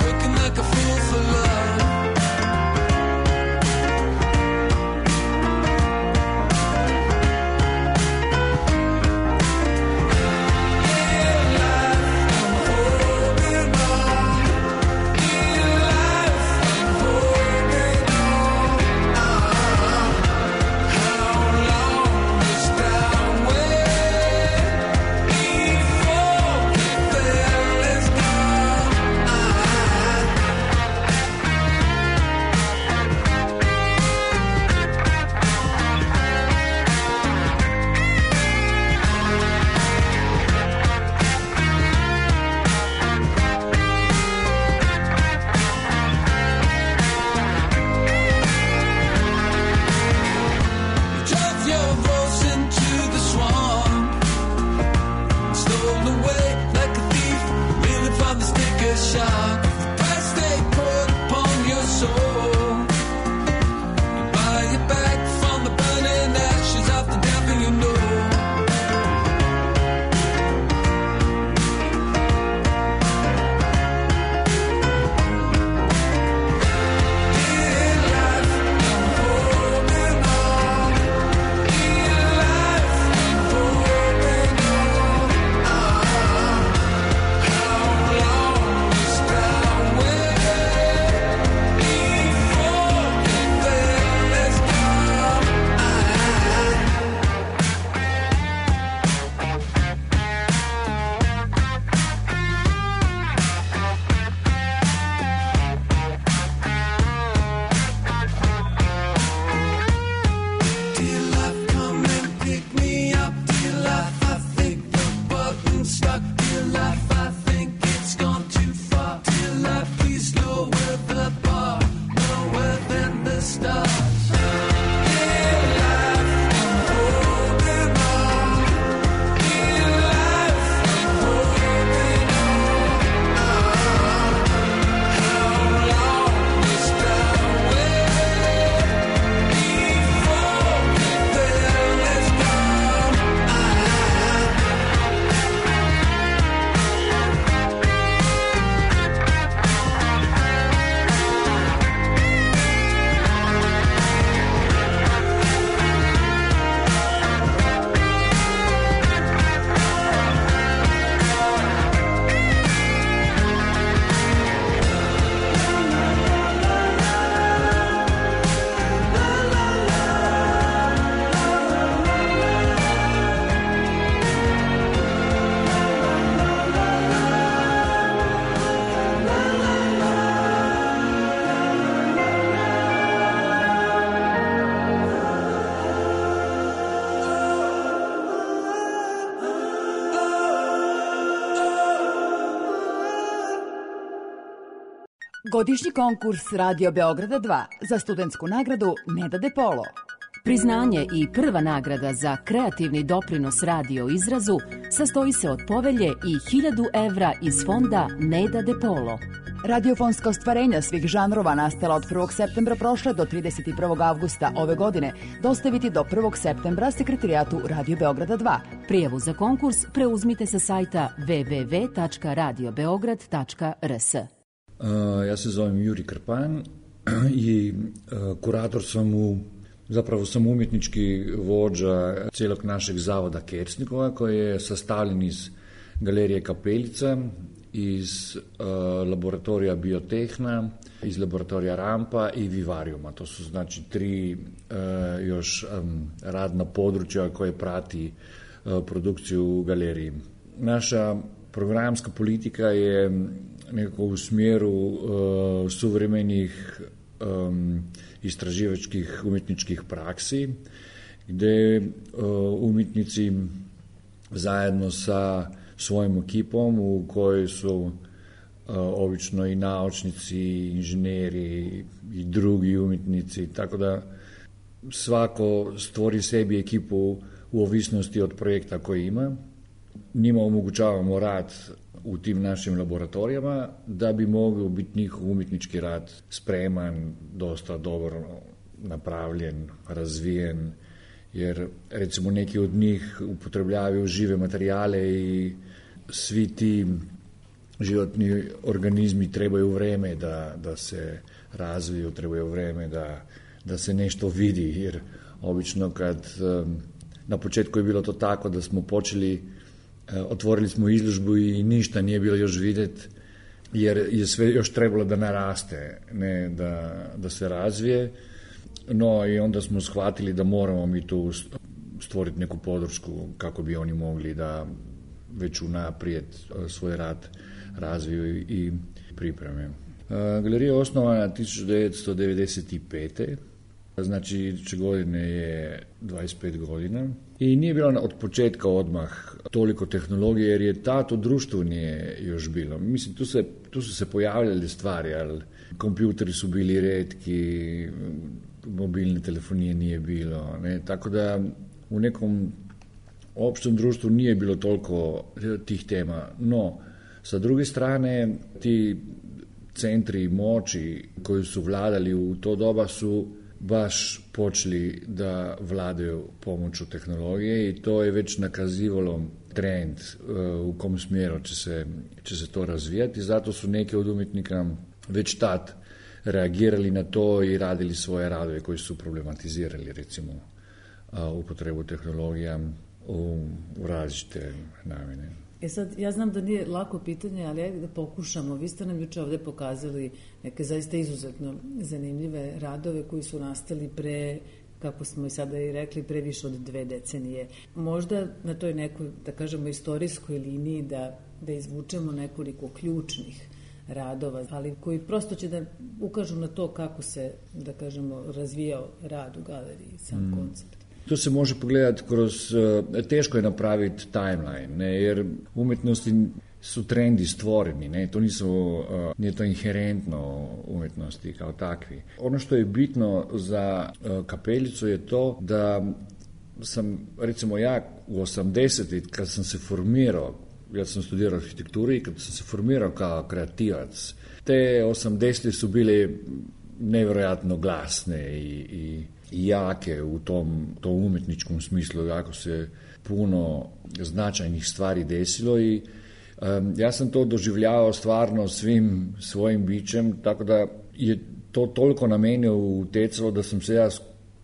Working like a fool for love. Godišnji konkurs Radio Beograda dva za studentsku nagradu Neda De Polo. Priznanje i prva nagrada za kreativni doprinos radio izrazu sastoji se od povelje i hiljadu evra iz fonda Neda De Polo. Radiofonska ostvarenja svih žanrova nastala od prvog septembra prošle do trideset prvog avgusta ove godine dostaviti do prvog septembra sekretarijatu Radio Beograda dva. Prijavu za konkurs preuzmite sa sajta w w w tačka radio beograd tačka r s. Uh, ja se zovem Juri Krpan i uh, kurator sam u, zapravo sam umjetnički vođa cijelog našeg zavoda Kersnikova koji je sastavljen iz Galerije Kapelica, iz uh, laboratorija Biotehna, iz laboratorija Rampa i Vivariuma. To su znači tri uh, još um, radna područja koje prati uh, produkciju u galeriji. Naša programska politika je nekako u smjeru uh, suvremenih um, istraživačkih umjetničkih praksi, gdje uh, umjetnici zajedno sa svojim ekipom u kojoj su uh, obično i naučnici, i inženjeri i drugi umjetnici, tako da svako stvori sebi ekipu u ovisnosti od projekta koji ima. Njima omogućavamo rad u tim našim laboratorijama da bi mogao biti njihov umjetnički rad spreman, dosta dobro napravljen, razvijen, jer recimo neki od njih upotrebljavaju žive materijale i svi ti životni organizmi trebaju vreme da, da se razviju, trebaju vreme da, da se nešto vidi, jer obično kad na početku je bilo to tako da smo počeli, otvorili smo izložbu i ništa nije bilo još vidjeti, jer je sve još trebalo da naraste, ne da, da se razvije. No i onda smo shvatili da moramo mi tu stvoriti neku podršku kako bi oni mogli da već unaprijed svoj rad razviju i pripreme. Galerija je osnovana tisuću devetsto devedeset pete. Znači iduće godine je dvadeset pet godina i nije bilo od početka odmah toliko tehnologije jer je tato društvo nije još bilo. Mislim, tu, se, tu su se pojavljale stvari, ali kompjuteri su bili retki, mobilne telefonije nije bilo, ne? Tako da u nekom opštem društvu nije bilo toliko tih tema, no sa druge strane ti centri moći koji su vladali u to doba su baš počeli da vladaju pomoću tehnologije i to je već nakazivalo trend u kom smjeru će se, će se to razvijati, zato su neki od umjetnika već tad reagirali na to i radili svoje radove koji su problematizirali recimo upotrebu tehnologija u, u različite namjene. E sad, ja znam da nije lako pitanje, ali ajde da pokušamo. Vi ste nam juče ovdje pokazali neke zaista izuzetno zanimljive radove koji su nastali pre, kako smo i sada i rekli, pre više od dve decenije. Možda na toj nekoj, da kažemo, istorijskoj liniji da, da izvučemo nekoliko ključnih radova, ali koji prosto će da ukažu na to kako se, da kažemo, razvijao rad u galeriji, sam mm. koncept. To se može pogledati kroz, teško je napraviti timeline, ne, jer umjetnosti su trendi stvoreni, ne, to nisu, nije to inherentno umjetnosti kao takvi. Ono što je bitno za Kapelicu je to da sam, recimo ja u osamdesetim kad sam se formirao, ja sam studirao arhitekturu i kad sam se formirao kao kreativac, te osamdesete su bile nevjerojatno glasne i, i i jake u tom, tom umjetničkom smislu, jako se puno značajnih stvari desilo i um, ja sam to doživljavao stvarno svim svojim bićem, tako da je to toliko na mene utjecalo da sam se ja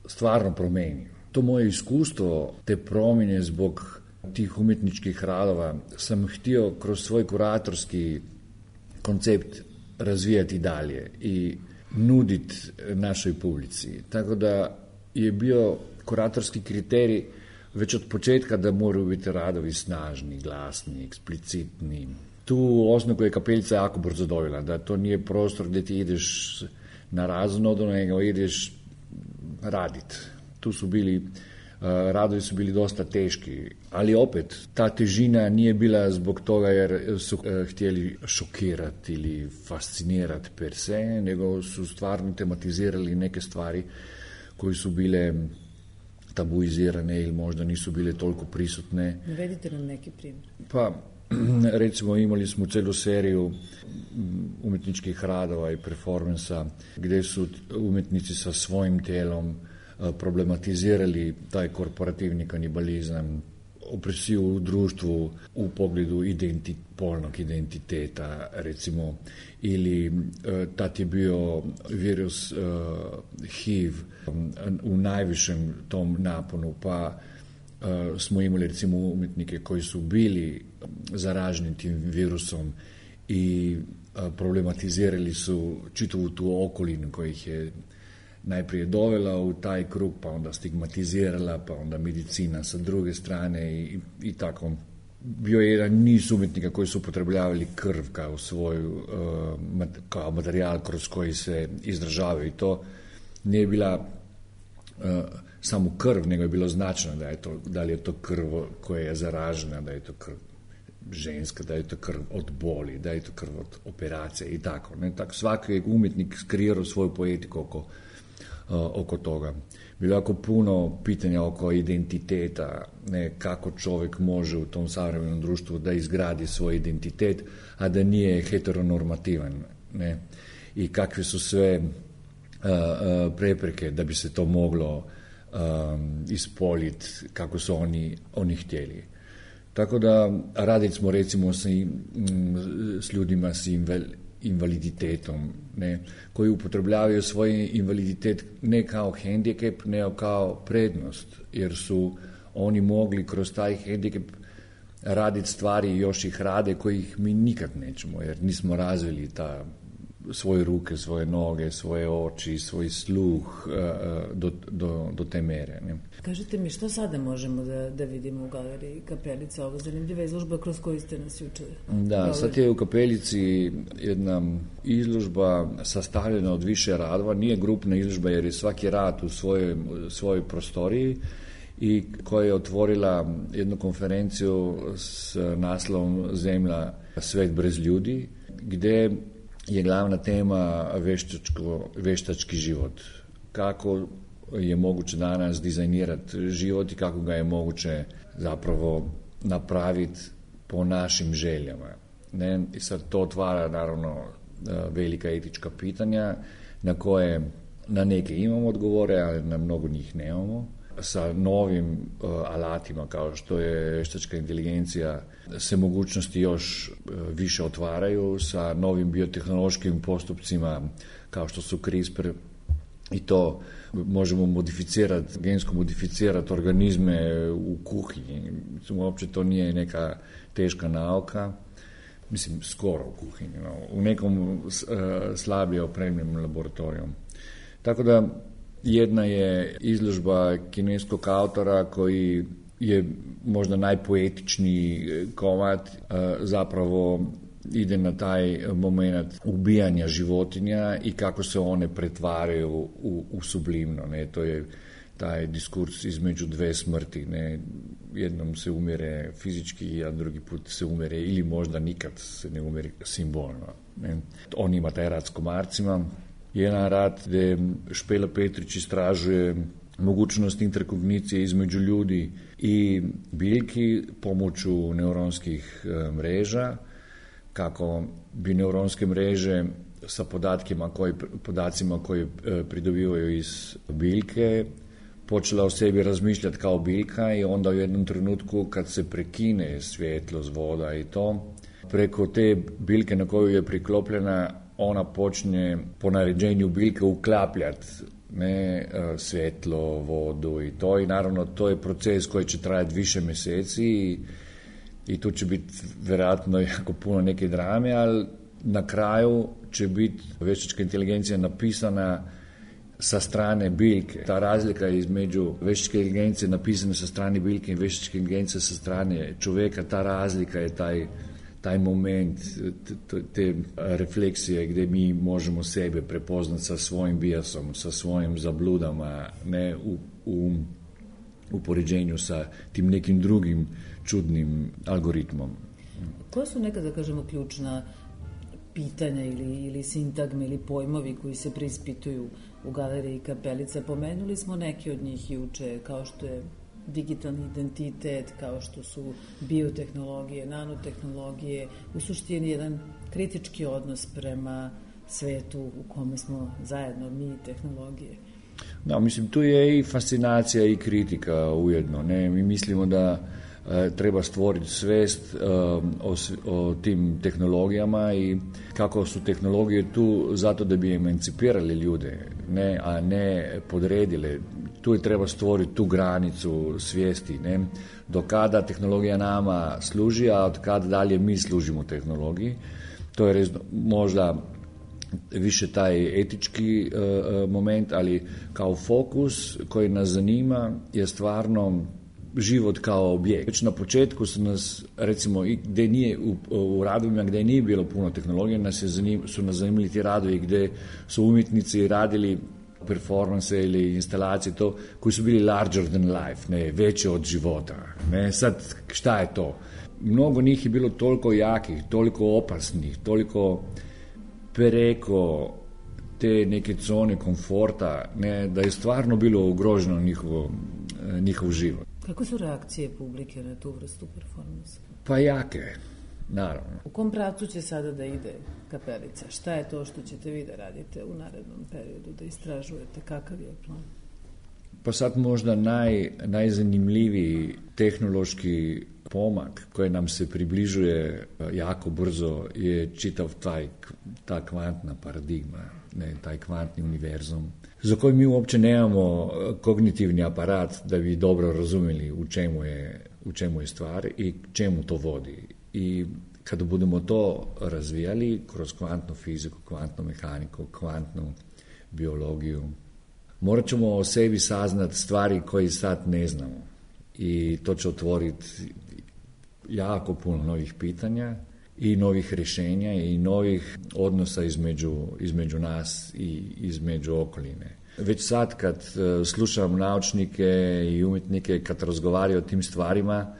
stvarno promenio. To moje iskustvo, te promjene zbog tih umjetničkih radova sam htio kroz svoj kuratorski koncept razvijati dalje i nuditi našoj publici. Tako da je bio kuratorski kriterij već od početka da moraju biti radovi snažni, glasni, eksplicitni. Tu osnovu je Kapelica jako brzo dobila, da to nije prostor gdje ti ideš na razonodu, nego ideš raditi. Tu su bili Radovi su bili dosta teški, ali opet ta težina nije bila zbog toga jer su htjeli šokirati ili fascinirati per se, nego su stvarno tematizirali neke stvari koje su bile tabuizirane ili možda nisu bile toliko prisutne. Navedite nam neki primjer. Pa, recimo imali smo celu seriju umjetničkih radova i performansa gdje su umjetnici sa svojim telom problematizirali taj korporativni kanibalizam, opresiju u društvu u pogledu identi, polnog identiteta, recimo, ili tad je bio virus uh, H I V u najvišem tom naponu, pa uh, smo imali recimo umjetnike koji su bili zaraženi tim virusom i uh, problematizirali su čitavu tu okolinu koja ih je najprije dovela u taj krug, pa onda stigmatizirala, pa onda medicina sa druge strane i, i tako. Bio je jedan niz umjetnika koji su upotrebljavali krv kao svoju, uh, kao materijal kroz koji se izražavaju i to nije bila uh, samo krv, nego je bilo značajno da je to, da li je to krv koja je zaražena, da je to krv ženska, da je to krv od boli, da je to krv od operacije i tako. Ne? Tako svaki umjetnik kreirao svoju poetiku oko oko toga. Bilo jako puno pitanja oko identiteta, ne, kako čovjek može u tom savremenom društvu da izgradi svoj identitet, a da nije heteronormativan, ne, i kakve su sve uh, uh, prepreke da bi se to moglo um, ispoljiti kako su oni, oni htjeli. Tako da radili smo recimo s, m, s ljudima s invel, invaliditetom, ne, koji upotrebljavaju svoj invaliditet ne kao hendikep, nego kao prednost, jer su oni mogli kroz taj hendikep raditi stvari i još ih rade kojih mi nikad nećemo, jer nismo razvili ta svoje ruke, svoje noge, svoje oči, svoj sluh uh, do, do, do te mere. Ne. Kažite mi, što sada možemo da, da vidimo u galeriji Kapelica? Ovo zanimljiva izložba kroz koju ste nas juče. Da, sad je u Kapelici jedna izložba sastavljena od više radova, nije grupna izložba jer je svaki rad u svojoj, svojoj prostoriji i koja je otvorila jednu konferenciju s naslovom Zemlja, svet brez ljudi, gdje je glavna tema veštačko, veštački život. Kako je moguće danas dizajnirati život i kako ga je moguće zapravo napraviti po našim željama. Ne? I sad to otvara naravno velika etička pitanja na koje na neke imamo odgovore, ali na mnogo njih nemamo. Sa novim uh, alatima kao što je veštačka inteligencija se mogućnosti još uh, više otvaraju, sa novim biotehnološkim postupcima kao što su CRISPR i to možemo modificirati, gensko modificirati organizme u kuhinji. Mislim, uopće to nije neka teška nauka, mislim skoro u kuhinji, no, u nekom uh, slabije opremljenom laboratorijom. Tako da jedna je izložba kineskog autora koji je možda najpoetičniji komad, zapravo ide na taj moment ubijanja životinja i kako se one pretvaraju u, u sublimno. Ne? To je taj diskurs između dve smrti. Ne? Jednom se umire fizički, a drugi put se umire ili možda nikad se ne umire simbolno. Ne? On ima taj rad s komarcima. Jedan rad gdje Špela Petrić istražuje mogućnost interkognicije između ljudi i biljki pomoću neuronskih mreža, kako bi neuronske mreže sa podatkima koji, podacima koje pridobivaju iz biljke počela o sebi razmišljati kao biljka i onda u jednom trenutku kad se prekine svjetlost, voda i to, preko te biljke na koju je priklopljena ona počne po naređenju biljke uklapljati ne, svjetlo, vodu i to i naravno to je proces koji će trajati više mjeseci i, i tu će biti vjerojatno jako puno neke drame, ali na kraju će biti veštačka inteligencija napisana sa strane biljke. Ta razlika između veštačke inteligencije napisane sa strane biljke i veštačke inteligencije sa strane čovjeka, ta razlika je taj taj moment, te, te refleksije gdje mi možemo sebe prepoznati sa svojim bijasom, sa svojim zabludama, ne u, u u poređenju sa tim nekim drugim čudnim algoritmom. Koja su neka, da kažemo, ključna pitanja ili, ili sintagme ili pojmovi koji se preispituju u galeriji Kapelica? Pomenuli smo neke od njih juče, kao što je digitalni identitet, kao što su biotehnologije, nanotehnologije, u suštini jedan kritički odnos prema svetu u kome smo zajedno mi i tehnologije. Da, mislim, tu je i fascinacija i kritika ujedno. Ne? Mi mislimo da e, treba stvoriti svest e, o, o tim tehnologijama i kako su tehnologije tu zato da bi emancipirali ljude, ne, a ne podredile. Tu je treba stvoriti tu granicu svijesti, ne? Do kada tehnologija nama služi, a od kada dalje mi služimo tehnologiji. To je rezno, možda više taj etički uh, moment, ali kao fokus koji nas zanima je stvarno život kao objekt. Već na početku su nas, recimo, i gdje nije, u, u radovima gdje nije bilo puno tehnologije, nas je zanim, su nas zanimali ti radovi gdje su umjetnici radili performanse ili instalacije to, koji su bili larger than life, ne, veće od života. Ne, sad, šta je to? Mnogo njih je bilo toliko jakih, toliko opasnih, toliko preko te neke zone komforta, ne, da je stvarno bilo ugroženo njihovo, njihov život. Kako su reakcije publike na tu vrstu performansa? Pa jake, naravno. U kom pravcu će sada da ide Kapelica? Šta je to što ćete vi da radite u narednom periodu, da istražujete? Kakav je plan? Pa sad možda naj, najzanimljiviji tehnološki pomak koji nam se približuje jako brzo je čitav taj, ta kvantna paradigma, ne, taj kvantni univerzum, za koji mi uopće nemamo kognitivni aparat da bi dobro razumjeli u čemu je, u čemu je stvar i čemu to vodi. I kada budemo to razvijali kroz kvantnu fiziku, kvantnu mehaniku, kvantnu biologiju, morat ćemo o sebi saznat stvari koje sad ne znamo. I to će otvoriti jako puno novih pitanja i novih rješenja i novih odnosa između, između nas i između okoline. Već sad kad slušam naučnike i umjetnike kad razgovaraju o tim stvarima,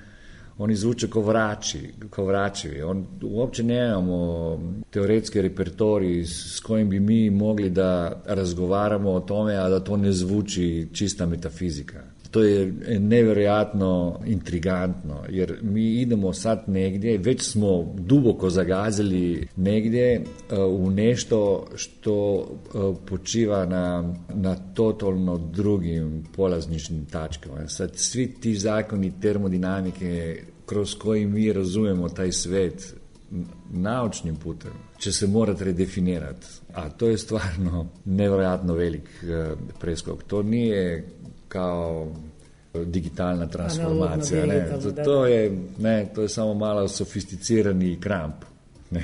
oni zvuče kao vrači, kao vraćevi. On, uopće nemamo teoretski repertorij s kojim bi mi mogli da razgovaramo o tome, a da to ne zvuči čista metafizika. To je nevjerojatno intrigantno, jer mi idemo sad negdje, već smo duboko zagazili negdje uh, u nešto što uh, počiva na, na totalno drugim polazničnim tačkama. Sad svi ti zakoni termodinamike kroz koji mi razumemo taj svet naučnim putem će se morati redefinirati, a to je stvarno nevjerojatno velik uh, preskok. To nije kao digitalna transformacija, ne, to, to je, ne, to je samo malo sofisticirani kramp, ne.